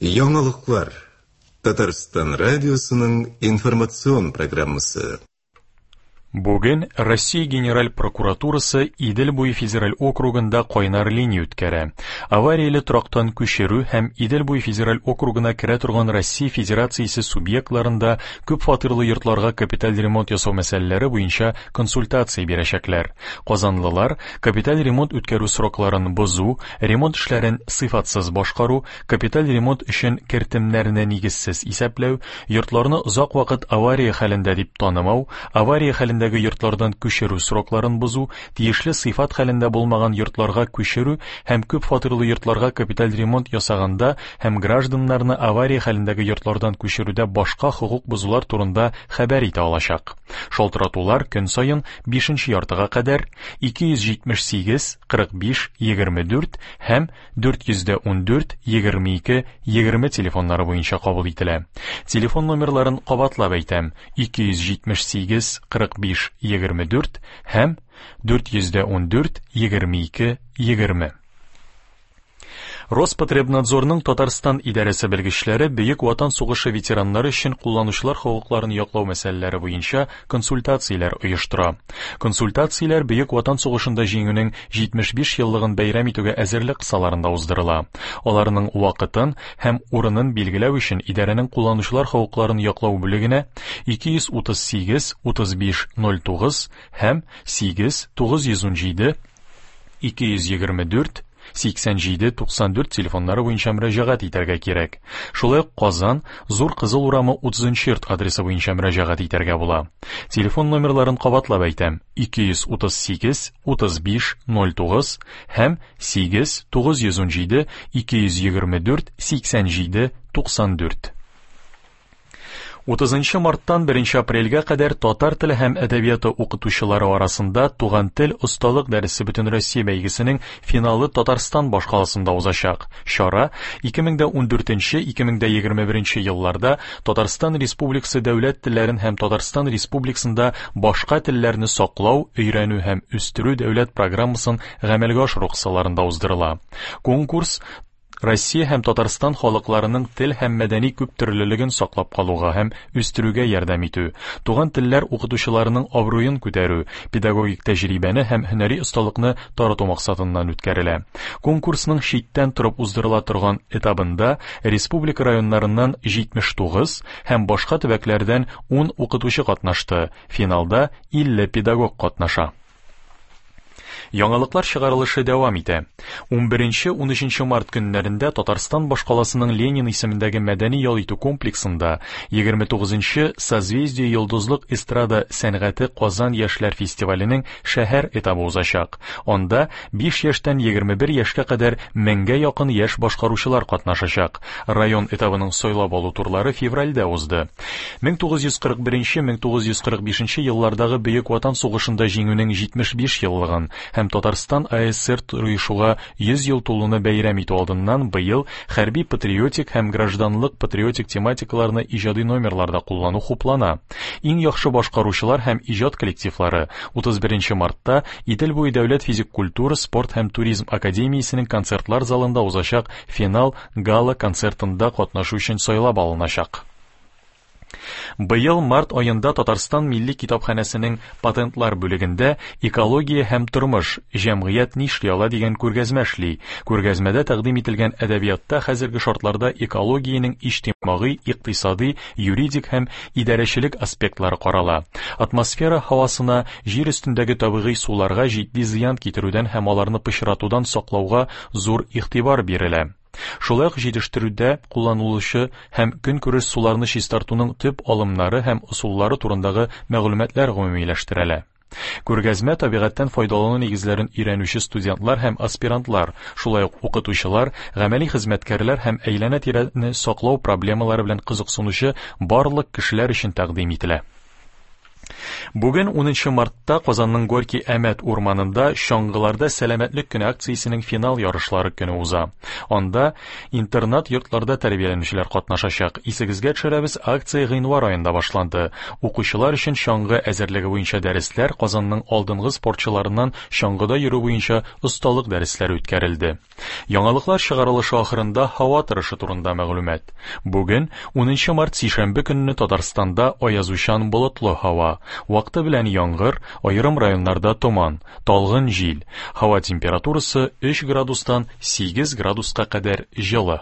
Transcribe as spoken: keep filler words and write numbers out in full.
Яңалыклар. Татарстан радиосының информацион программасы. Бүген Россия Генераль прокуратурасы Идел буе федераль округында кайнар линия үткәрә. Аварияле торактан күчерү һәм Идел буе федераль округына керә торган Россия Федерациясе субъектларында күп фатирлы йортларга капиталь ремонт ясау мәсьәләләре буенча консультация бирәчәкләр. Казанлылар капиталь ремонт үткәрү срокларын бозу, ремонт эшләрен сыйфатсыз башкару, капиталь ремонт өчен кертемнәрне нигезсез исәпләү, йортларны озак вакыт авария хәлендә дип танымау, авария хәлендә йортлардан күчерү срокларын бозу, тиешле сыйфат хәлендә булмаган йортларга күчерү һәм күп фатирлы йортларга капиталь ремонт ясаганда һәм гражданнарны авария хәлендәге йортлардан күчерүдә башка хокук бозулар турында хәбәр итә алачак. Шалтыратулар көн саен бишенче яртыга кадәр ике йөз җитмеш сигез, кырык биш, егерме дүрт һәм дүрт йөз дә ундүрт, егерме ике, егерме телефоннары буенча кабул ителә. Телефон номерларын кабатлап әйтәм: ике йөз җитмеш сигез, кырык биш, егерме дүрт һәм дүрт йөз дә ундүрт, егерме ике, егерме. Роспотребнадзорның Татарстан идарәсе белгечләре Бөек Ватан сугышы ветераннары өчен кулланучылар хокукларын яклау мәсьәләләре буенча консультацияләр оештыра. Консультацияләр Бөек Ватан сугышында җиңүнең җитмеш биш еллыгын бәйрәм итүгә әзерлек кысаларында уздырыла. Аларның вакытын һәм урынын билгеләү өчен идарәнең кулланучылар хокукларын яклау бүлегенә ике йөз утыз сигез, утыз биш, ноль тугыз һәм сигез, тугыз йөз унҗиде, ике йөз егерме дүрт, сиксән җиде, туксан дүрт телефоннары буенча мөрәҗәгать итәргә кирәк. Шулай ук Казан, Зур Кызыл урамы утызынчы йорт адресы буенча мөрәҗәгать итәргә була. Телефон номерларын кабатлап әйтәм: ике йөз утыз сигез, утыз биш, ноль тугыз һәм сигез, тугыз йөз унҗиде, ике йөз егерме дүрт, сиксән җиде, туксан дүрт. Утызынчы марттан беренче апрельгә кадәр татар теле һәм әдәбияты укытучылары арасында Туган тел осталык дәресе Бөтенроссия бәйгесенең финалы Татарстан башкаласында узачак. Чара ике мең дә ундүртенче, ике мең дә егерме беренче елларда Татарстан Республикасы дәүләт телләрен һәм Татарстан Республикасында башка телләрне саклау, өйрәнү һәм үстерү дәүләт программасын гамәлгә ашыру кысаларында уздырыла. Конкурс Россия һәм Татарстан халыкларының тел һәм мәдәни күптөрлелеген саклап калуга һәм үстерүгә ярдәм итү, туган телләр укытучыларының абруен күтәрү, педагогик тәҗрибәне һәм һөнәри осталыкны тарату максатыннан үткәрелә. Конкурсның читтән торып уздырыла торган этабында республика районнарыннан җитмеш тугыз һәм башка төбәкләрдән ун укытучы катнашты. Финалда илле педагог катнаша. Яңалыклар чыгарылышы дәвам итә. Унберенче, унөченче март көннәрендә Татарстан башкаласының Ленин исемендәге мәдәни ял итү комплексында егерме тугызынчы Созвездие йолдызлык эстрада сәнгате Казан яшьләр фестиваленең шәһәр этабы узачак. Анда биш яшьтән егерме бер яшькә кадәр меңгә якын яшь башкаручылар катнашачак. Район этабының сайлап алу турлары февральдә узды. Мең тугыз йөз кырык беренче, мең тугыз йөз кырык бишенче еллардагы Бөек Ватан сугышында җиңүнең җитмеш биш еллыгын һәм Татарстан А Эс Эс Эр оешуга йөз ел тулуны бәйрәм итү алдыннан быел хәрби патриотик һәм гражданлык патриотик тематикаларны иҗади номерларда куллану хуплана. Иң яхшы башкаручылар һәм иҗат коллективлары утыз беренче мартта Идел буе дәүләт физик культура, спорт һәм туризм академиясенең концертлар залында узачак финал гала концертында катнашу өчен сайлап алыначак. Быел март аенда Татарстан Милли китапханәсенең патентлар бүлегендә Экология һәм тормыш, җәмгыять нишли ала дигән күргәзмә эшли. Күргәзмәдә тәкъдим ителгән әдәбиятта хәзерге шартларда экологиянең иҗтимагый, икътисади, юридик һәм идарәчелек аспектлары карала. Атмосфера һавасына, җир өстендәге табигый суларга җитди зыян китерүдән һәм аларны пычратудан саклауга зур игътибар бирелә. Шулай ук җитештерүдә кулланылучы һәм көнкүреш суларны чистартуның төп алымнары һәм ысуллары турындагы мәгълүматлар гомумиләштерелә. Күргәзмә табигатьтән файдалану нигезләрен өйрәнүче студентлар һәм аспирантлар, шулай ук укытучылар, гамәли хезмәткәрләр һәм әйләнә-тирәне саклау проблемалары белән кызыксынучы барлык кешеләр өчен тәкъдим ителә. Бүген унынчы мартта Казанның Горький Әмәт урманында чаңгыларда сәламәтлек көне акциясенең финал ярышлары көне уза. Анда интернат йортларда тәрбияләнүчеләр катнашачак. Исегезгә төшерәбез, акция гыйнвар аенда башланды. Укучылар өчен чаңгы әзерлеге буенча дәресләр, Казанның алдынгы спортчыларыннан чаңгыда йөрү буенча осталык дәресләре үткәрелде. Яңалыклар чыгарылышы ахырында һава торышы турында мәгълүмат. Бүген унынчы март сишәмбе көнне Татарстанда аязучан болытлы һава. Вакыты белән яңгыр, аерым районнарда томан, талгын җил. Һава температурасы өч градустан сигез градуска кадәр җылы.